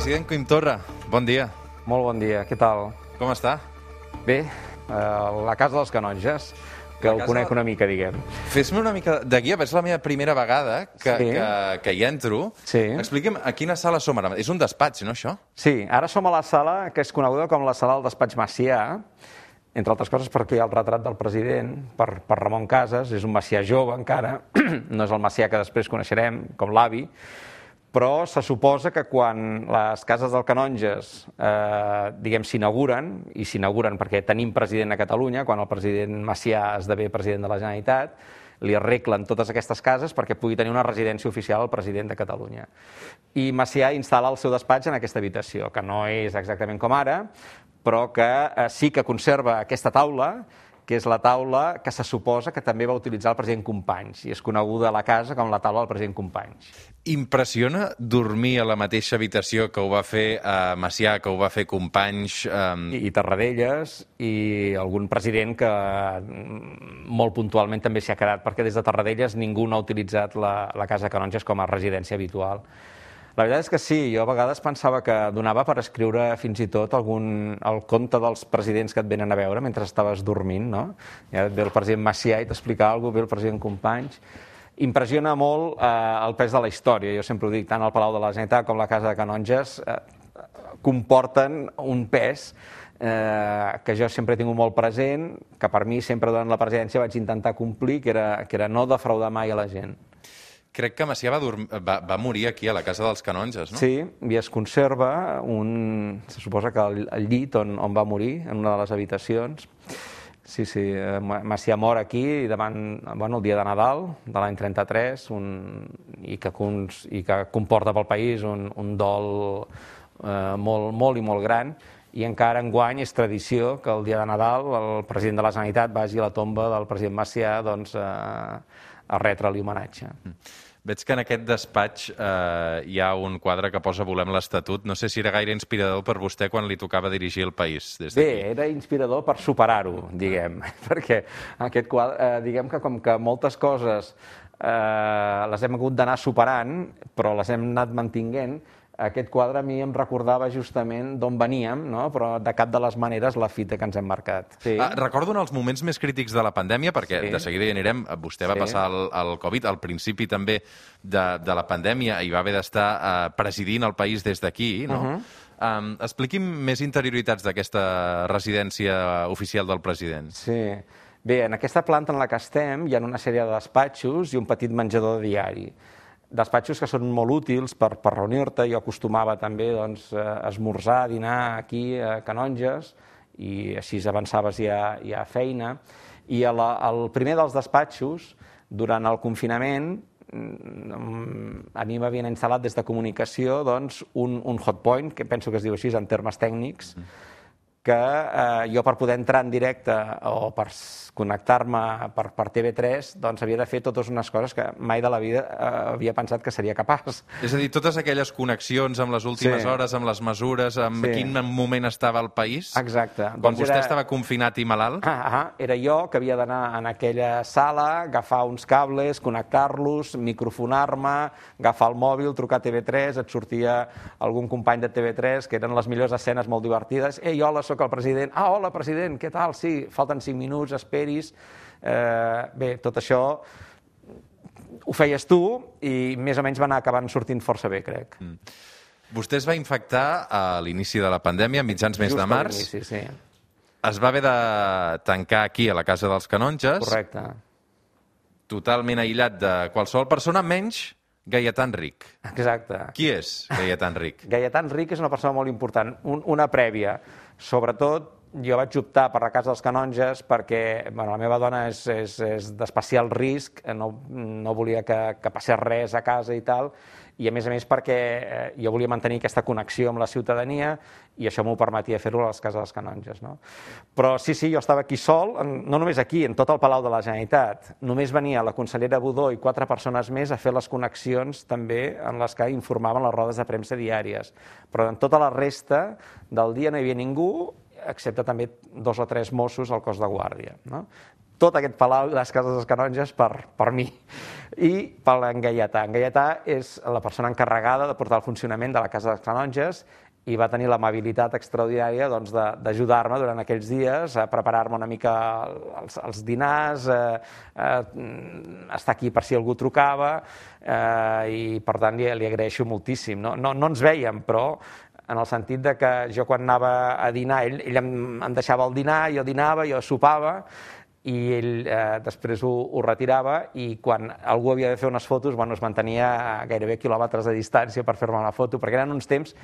President Quim Torra, bon dia. Molt bon dia, què tal? Com està? Bé, la Casa dels Canonges, que el conec una mica, diguem. Fes-me una mica de guia, és la meva primera vegada que hi entro. Sí. Expliqui'm a quina sala som ara. És un despatx, no, això? Sí, ara som a la sala que és coneguda com la sala del despatx Macià, entre altres coses perquè hi ha el retrat del president per Ramon Casas, és un Macià jove encara, no és el Macià que després coneixerem com l'avi, però se suposa que quan les cases dels canonges diguem s'inauguren, i s'inauguren perquè tenim president a Catalunya, quan el president Macià esdevé president de la Generalitat, li arreglen totes aquestes cases perquè pugui tenir una residència oficial el president de Catalunya. I Macià instal·la el seu despatx en aquesta habitació, que no és exactament com ara, però que sí que conserva aquesta taula, que és la taula que se suposa que també va utilitzar el president Companys, i és coneguda a la casa com la taula del president Companys. Impressiona dormir a la mateixa habitació que ho va fer Macià, que ho va fer Companys... I Tarradellas, i algun president que molt puntualment també s'hi ha quedat, perquè des de Tarradellas ningú no ha utilitzat la Casa Canonges com a residència habitual. La veritat és que sí, jo a vegades pensava que donava per escriure fins i tot el conte dels presidents que et venen a veure mentre estaves dormint, no? Ja et ve el president Macià i t'explica alguna cosa, ve el president Companys. Impressiona molt el pes de la història, jo sempre ho dic, tant el Palau de la Generalitat com la Casa de Canonges comporten un pes que jo sempre he tingut molt present, que per mi sempre durant la presidència vaig intentar complir, que era no defraudar mai a la gent. Crec que Macià va morir aquí, a la Casa dels Canonges, no? Sí, i es conserva se suposa que el llit on va morir, en una de les habitacions. Sí, Macià mor aquí davant el dia de Nadal de l'any 33 i que comporta pel país un dol molt i molt gran, i encara enguany és tradició que el dia de Nadal el president de la Generalitat vagi a la tomba del president Macià a retre-li homenatge. Veig que en aquest despatx hi ha un quadre que posa Volem l'Estatut. No sé si era gaire inspirador per vostè quan li tocava dirigir el país des d'aquí. Bé, era inspirador per superar-ho, diguem, perquè aquest quadre, diguem que com que moltes coses les hem hagut d'anar superant, però les hem anat mantinguent, aquest quadre a mi em recordava justament d'on veníem, no? Però de cap de les maneres la fita que ens hem marcat. Sí. Recordo en els moments més crítics de la pandèmia, perquè de seguida hi anirem, vostè va passar el Covid, al principi també de la pandèmia, i va haver d'estar presidint el país des d'aquí, no? Expliqui'm més interioritats d'aquesta residència oficial del president. Sí. Bé, en aquesta planta en la que estem hi ha una sèrie de despatxos i un petit menjador de diari. Despatxos que són molt útils per reunir-te. Jo acostumava també a esmorzar, a dinar aquí a Canonges, i així avançaves ja a feina. I el primer dels despatxos, durant el confinament, a mi m'havien instal·lat des de comunicació un hotpoint, que penso que es diu així en termes tècnics, que jo per poder entrar en directe o per connectar-me per TV3 havia de fer totes unes coses que mai de la vida havia pensat que seria capaç. És a dir, totes aquelles connexions amb les últimes hores, amb les mesures, amb quin moment estava el país? Exacte. Quan vostè estava confinat i malalt? Era jo que havia d'anar en aquella sala, agafar uns cables, connectar-los, microfonar-me, agafar el mòbil, trucar a TV3, et sortia algun company de TV3, que eren les millors escenes molt divertides. Ei, hola, soc el president. Hola, president, què tal? Sí, falten 5 minuts, esperis. Bé, tot això ho feies tu i més o menys va anar acabant sortint força bé, crec. Vostè es va infectar a l'inici de la pandèmia, a mitjans mes de març. Just a l'inici, sí. Es va haver de tancar aquí, a la Casa dels Canonges. Correcte. Totalment aïllat de qualsevol persona, menys Gaietà Enric. Exacte. Qui és Gaietà Enric? Gaietà Enric és una persona molt important, una prèvia. Sobretot, jo vaig optar per la Casa dels Canonges perquè la meva dona és d'especial risc, no volia que passés res a casa i tal, i a més perquè jo volia mantenir aquesta connexió amb la ciutadania i això m'ho permetia fer-ho a les Cases dels Canonges. No? Però sí, jo estava aquí sol, no només aquí, en tot el Palau de la Generalitat. Només venia la consellera Budó i 4 persones més a fer les connexions també en les que informaven les rodes de premsa diàries. Però en tota la resta del dia no hi havia ningú, excepte també 2 o 3 Mossos al cos de guàrdia. No? tot aquest palau i les cases dels canonges per mi i per en Gaietà. En Gaietà és la persona encarregada de portar el funcionament de la casa dels canonges i va tenir l'amabilitat extraordinària d'ajudar-me durant aquells dies a preparar-me una mica els dinars, estar aquí per si algú trucava, i per tant li agraeixo moltíssim. No ens vèiem, però en el sentit de que jo quan anava a dinar, ell em deixava el dinar, jo dinava, jo sopava, i ell després ho retirava, i quan algú havia de fer unes fotos, es mantenia a gairebé quilòmetres de distància per fer-me una foto, perquè eren uns temps,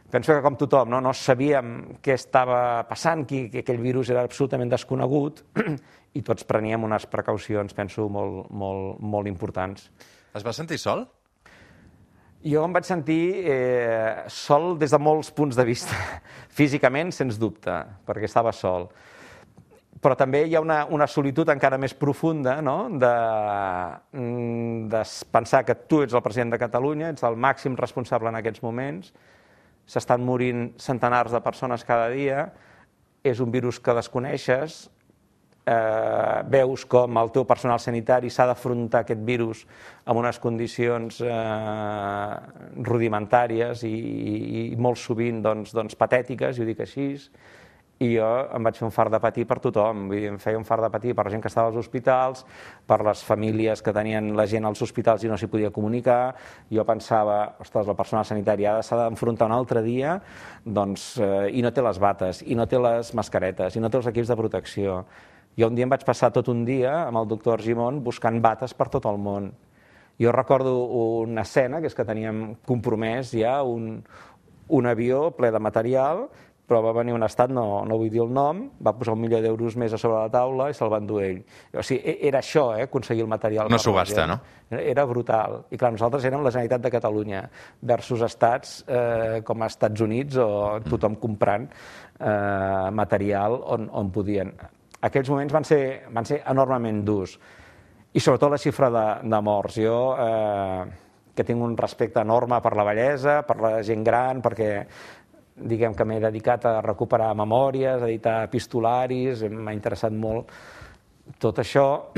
penso que com tothom, no sabíem què estava passant, que aquell virus era absolutament desconegut, i tots preníem unes precaucions, penso, molt importants. Es va sentir sol? Jo em vaig sentir sol des de molts punts de vista. Físicament, sens dubte, perquè estava sol. Però també hi ha una solitud encara més profunda, no? de pensar que tu ets el president de Catalunya, ets el màxim responsable en aquests moments, s'estan morint centenars de persones cada dia, és un virus que desconeixes, veus com el teu personal sanitari s'ha d'afrontar aquest virus amb unes condicions rudimentàries i molt sovint patètiques, i ho dic així, i jo em vaig fer un fart de patir per tothom, em feia un fart de patir per la gent que estava als hospitals, per les famílies que tenien la gent als hospitals i no s'hi podia comunicar. Jo pensava, ostres, el personal sanitari s'ha d'enfrontar un altre dia i no té les bates, i no té les mascaretes, i no té els equips de protecció. Jo un dia em vaig passar tot un dia amb el doctor Argimon buscant bates per tot el món. Jo recordo una escena, que és que teníem compromès ja un avió ple de material, però va venir un estat, no vull dir el nom, va posar €1.000.000 més a sobre la taula i se'l va endur ell. O sigui, era això, aconseguir el material. No subhasta, no? Era brutal. I clar, nosaltres érem la Generalitat de Catalunya versus estats com els Estats Units, o tothom comprant material on podien. Aquells moments van ser enormement durs. I sobretot la xifra de morts. Jo, que tinc un respecte enorme per la vellesa, per la gent gran, perquè diguem que m'he dedicat a recuperar memòries, a editar epistolaris, m'ha interessat molt tot això.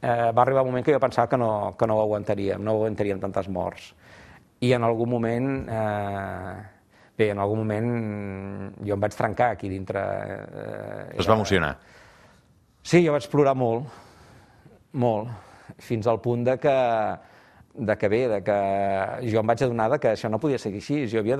Va arribar un moment que jo pensava que no ho aguantaríem tantes morts. I en algun moment jo em vaig trencar aquí dintre. Es va emocionar? Sí, jo vaig plorar molt, fins al punt de que jo em vaig adonar que això no podia seguir així. Jo havia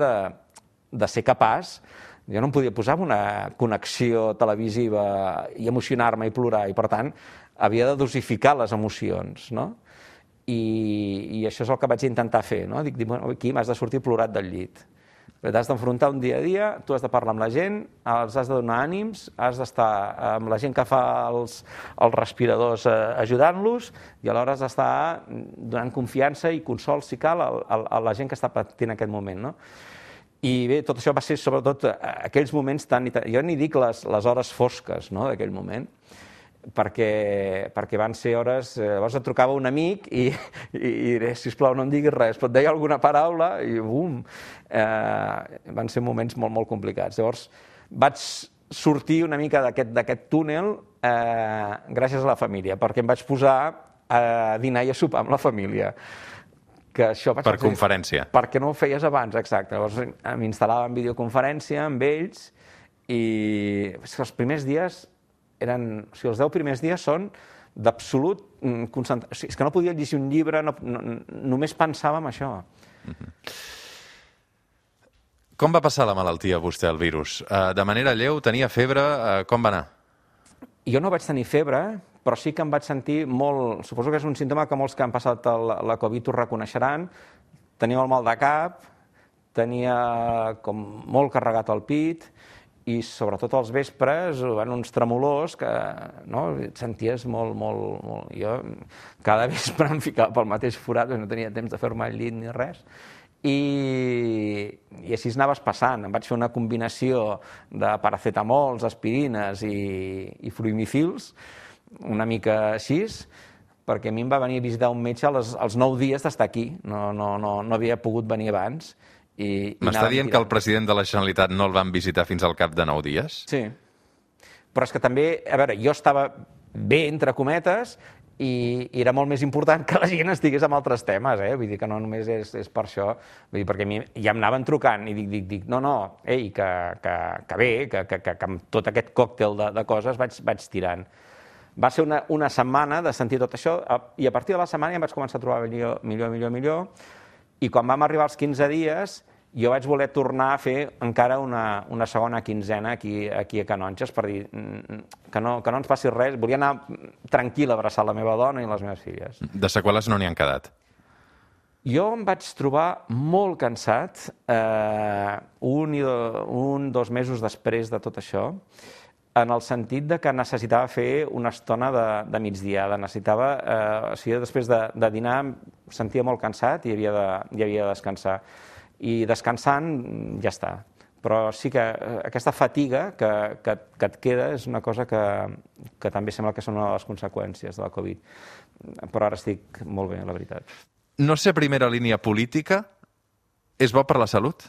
de ser capaç, jo no em podia posar una connexió televisiva i emocionar-me i plorar, i per tant havia de dosificar les emocions, no? I això és el que vaig intentar fer, no? Dic, bueno, aquí m'has de sortir plorat del llit. T'has d'enfrontar un dia a dia, tu has de parlar amb la gent, els has de donar ànims, has d'estar amb la gent que fa els respiradors ajudant-los, i alhora has d'estar donant confiança i consol, si cal, a la gent que està patint en aquest moment, no? I bé, tot això va ser sobretot aquells moments jo n'hi dic les hores fosques d'aquell moment, perquè van ser hores. Llavors et trucava un amic i diré, sisplau, no em diguis res, però et deia alguna paraula i bum! Van ser moments molt, molt complicats. Llavors vaig sortir una mica d'aquest túnel gràcies a la família, perquè em vaig posar a dinar i a sopar amb la família. Per conferència. Perquè no ho feies abans, exacte. Llavors m'instal·lava en videoconferència amb ells, i els primers dies els 10 primers dies són d'absolut concentració. És que no podia llegir un llibre, només pensava en això. Com va passar la malaltia, vostè, el virus? De manera lleu, tenia febre, com va anar? Jo no vaig tenir febre, però sí que em vaig sentir molt. Suposo que és un símptoma que molts que han passat la Covid ho reconeixeran. Tenia el mal de cap, tenia com molt carregat el pit, i sobretot als vespres van uns tremolors que et senties molt. Jo cada vespre em ficava pel mateix forat, no tenia temps de fer-me al llit ni res, i així anaves passant. Em vaig fer una combinació de paracetamols, aspirines i fluimifils, una mica així, perquè a mi em va venir a visitar un metge als 9 dies d'estar aquí. No havia pogut venir abans. M'està dient que el president de la Generalitat no el van visitar fins al cap de 9 dies? Sí. Però és que també, a veure, jo estava bé, entre cometes, i era molt més important que la gent estigués amb altres temes, vull dir que no només és per això, vull dir, perquè a mi ja em anaven trucant i dic, no, ei, que bé, que amb tot aquest còctel de coses vaig tirant. Va ser una setmana de sentir tot això, i a partir de la setmana ja em vaig començar a trobar millor, i quan vam arribar als 15 dies, jo vaig voler tornar a fer encara una segona quinzena aquí a Canonges per dir que no ens passi res. Volia anar tranquil a abraçar la meva dona i les meves filles. De seqüeles no n'hi han quedat? Jo em vaig trobar molt cansat 2 mesos després de tot això, en el sentit de que necessitava fer una estona de migdiada. O sigui, després de dinar em sentia molt cansat i havia de descansar. I descansant ja està. Però sí que aquesta fatiga que et queda és una cosa que també sembla que són una de les conseqüències de la Covid. Però ara estic molt bé, la veritat. No ser primera línia política és bo per la salut?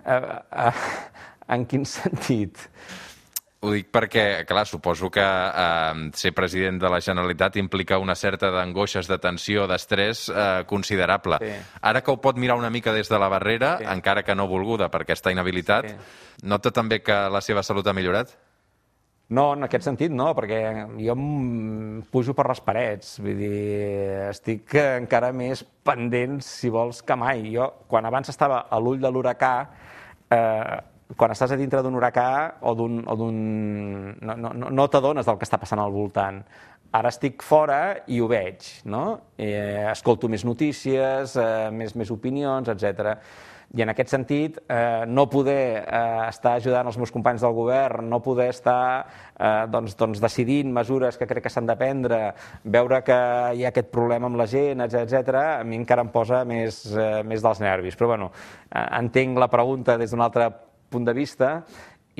En quin sentit? Ho dic perquè, clar, suposo que ser president de la Generalitat implica una certa d'angoixes, de tensió, d'estrès considerable. Sí. Ara que ho pot mirar una mica des de la barrera, sí, encara que no volguda per aquesta inhabilitat, sí, nota també que la seva salut ha millorat? No, en aquest sentit no, perquè jo em pujo per les parets, vull dir, estic encara més pendent, si vols, que mai. Jo, quan abans estava a l'ull de l'huracà, quan estàs a dintre d'un huracà no t'adones del que està passant al voltant. Ara estic fora i ho veig, no? Escolto més notícies, més opinions, etc. I en aquest sentit, no poder estar ajudant els meus companys del govern, no poder estar decidint mesures que crec que s'han de prendre, veure que hi ha aquest problema amb la gent, etc., a mi encara em posa més dels nervis. Però bueno, entenc la pregunta des d'un altre punt de vista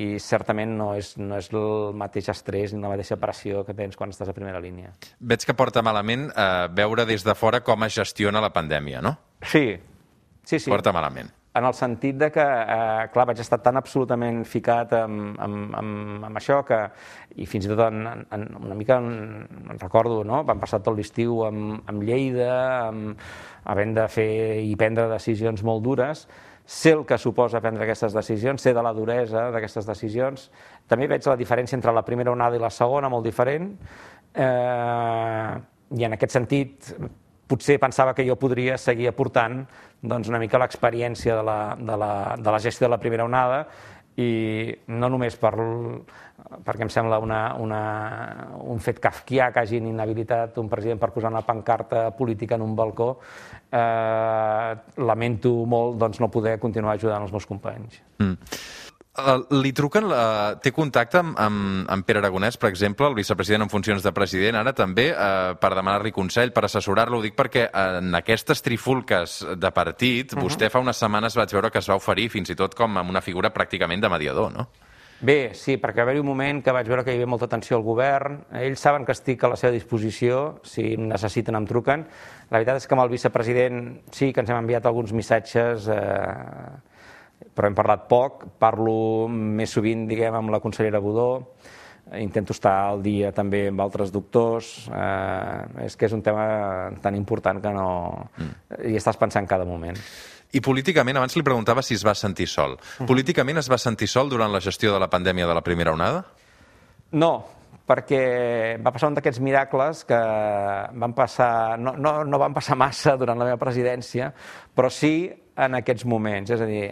i certament no és el mateix estrès ni la mateixa pressió que tens quan estàs a primera línia. Veig que porta malament veure des de fora com es gestiona la pandèmia, no? Sí. Porta malament. En el sentit de que, clar, vaig estar tan absolutament ficat amb això que, i fins i tot una mica en recordo, no? Vam passar tot l'estiu amb Lleida, havent de fer i prendre decisions molt dures. Sé el que suposa prendre aquestes decisions, sé de la duresa d'aquestes decisions. També veig la diferència entre la primera onada i la segona, molt diferent, i en aquest sentit potser pensava que jo podria seguir aportant una mica l'experiència de la gestió de la primera onada, i no només perquè em sembla un fet kafkià que hagin inhabilitat un president per posar una pancarta política en un balcó. Lamento molt no poder continuar ajudant els meus companys. Li truquen, té contacte amb Pere Aragonès, per exemple, el vicepresident en funcions de president, ara també, per demanar-li consell, per assessorar-lo? Ho dic perquè en aquestes trifulques de partit, vostè fa unes setmanes vaig veure que es va oferir fins i tot com amb una figura pràcticament de mediador, no? Bé, sí, perquè va haver-hi un moment que vaig veure que hi havia molta tensió al govern. Ells saben que estic a la seva disposició, si em necessiten em truquen. La veritat és que amb el vicepresident sí que ens hem enviat alguns missatges, però hem parlat poc. Parlo més sovint, diguem, amb la consellera Budó. Intento estar al dia també amb altres doctors. És que és un tema tan important que no hi estàs pensant cada moment. I políticament, abans li preguntava si es va sentir sol. Políticament es va sentir sol durant la gestió de la pandèmia de la primera onada? No, perquè va passar un d'aquests miracles que van passar, no van passar massa durant la meva presidència, però sí en aquests moments. És a dir,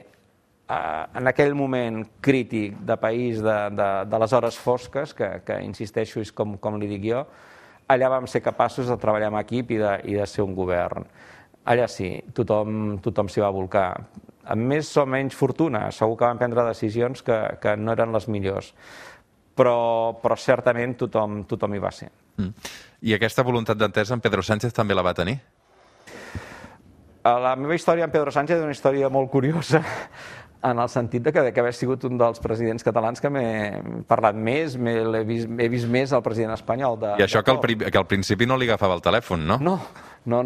en aquell moment crític de país, de les hores fosques, que insisteixo, és com li dic jo, allà vam ser capaços de treballar en equip i de ser un govern. Allà sí, tothom s'hi va volcar. Amb més o menys fortuna, segur que van prendre decisions que no eren les millors, però certament tothom hi va ser. I aquesta voluntat d'entesa en Pedro Sánchez també la va tenir? La meva història amb Pedro Sánchez és una història molt curiosa, en el sentit de que haver sigut un dels presidents catalans que m'he parlat més, he vist més el president espanyol. I això que al principi no li agafava el telèfon, no? No,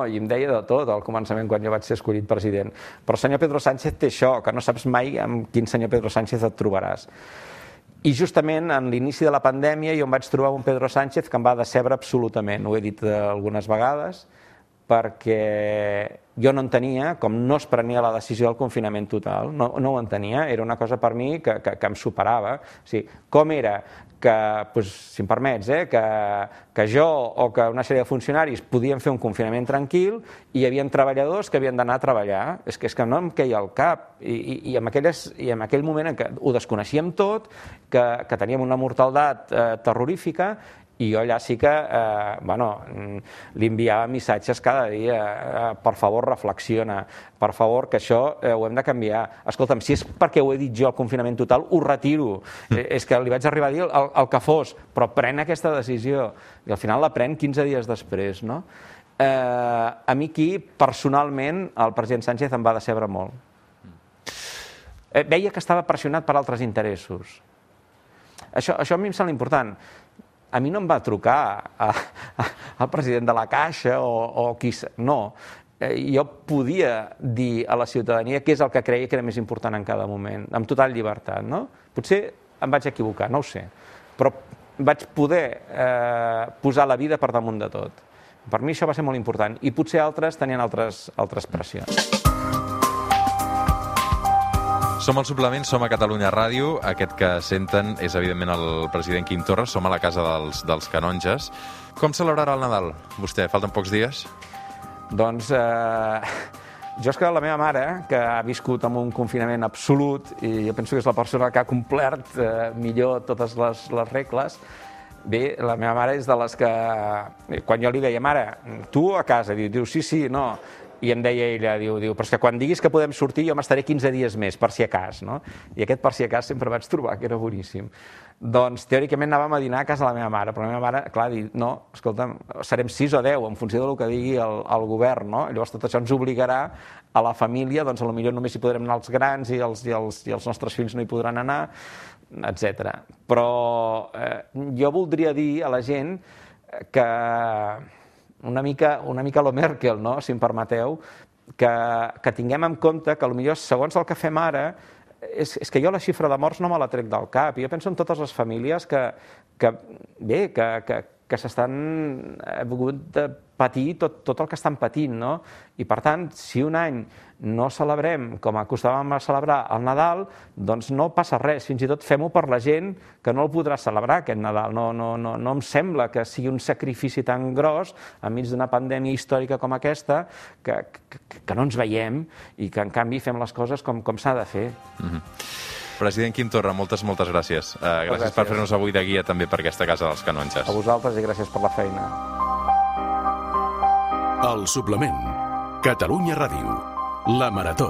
i em deia de tot al començament quan jo vaig ser escollit president. Però el senyor Pedro Sánchez té això, que no saps mai amb quin senyor Pedro Sánchez et trobaràs. I justament en l'inici de la pandèmia jo em vaig trobar un Pedro Sánchez que em va decebre absolutament, ho he dit algunes vegades, perquè jo no entenia com no es prenia la decisió del confinament total, no ho entenia, era una cosa per mi que em superava. O sigui, com era que, si em permets, que jo o que una sèrie de funcionaris podien fer un confinament tranquil i hi havia treballadors que havien d'anar a treballar. És que no em queia al cap. I en aquell moment en què ho desconeixíem tot, que teníem una mortaldat terrorífica, i jo allà sí que li enviava missatges cada dia, per favor reflexiona, per favor que això ho hem de canviar, escolta'm, si és perquè ho he dit jo al confinament total, ho retiro, és que li vaig arribar a dir el que fos, però pren aquesta decisió, i al final la pren 15 dies després, no? A mi aquí, personalment, el president Sánchez em va decebre molt. Veia que estava pressionat per altres interessos. Això a mi em sembla important. A mi no em va trucar el president de la Caixa o qui... No. Jo podia dir a la ciutadania què és el que creia que era més important en cada moment, amb total llibertat, no? Potser em vaig equivocar, no ho sé, però vaig poder posar la vida per damunt de tot. Per mi això va ser molt important, i potser altres tenien altres pressions. Som al Suplement, som a Catalunya Ràdio. Aquest que senten és, evidentment, el president Quim Torra. Som a la casa dels canonges. Com celebrarà el Nadal, vostè? Falten pocs dies? Doncs jo és que la meva mare, que ha viscut amb un confinament absolut, i jo penso que és la persona que ha complert millor totes les regles, bé, la meva mare és de les que... Quan jo li deia, mare, tu a casa, diu sí, no... I em deia ella, diu, però és que quan diguis que podem sortir jo m'estaré 15 dies més, per si a cas, no? I aquest per si a cas sempre vaig trobar que era boníssim. Doncs teòricament anàvem a dinar a casa de la meva mare, però la meva mare, clar, diu, no, escolta'm, serem 6 o 10, en funció del que digui el govern, no? Llavors tot això ens obligarà a la família, doncs potser només hi podrem anar els grans i els nostres fills no hi podran anar, etc. Però jo voldria dir a la gent que... una mica lo Merkel, no? Si em permeteu, que tinguem en compte que potser segons el que fem ara és que jo la xifra de morts no me la trec del cap. Jo penso en totes les famílies que s'estan hagut de patir tot el que estan patint, no? I per tant, si un any no celebrem com acostàvem a celebrar el Nadal, doncs no passa res, fins i tot fem-ho per la gent que no el podrà celebrar aquest Nadal. No em sembla que sigui un sacrifici tan gros enmig d'una pandèmia històrica com aquesta que no ens veiem i que en canvi fem les coses com s'ha de fer. President Quim Torra, moltes gràcies. Gràcies per fer-nos avui de guia també per aquesta casa dels canonges. A vosaltres i gràcies per la feina. El Suplement. Catalunya Ràdio. La Marató.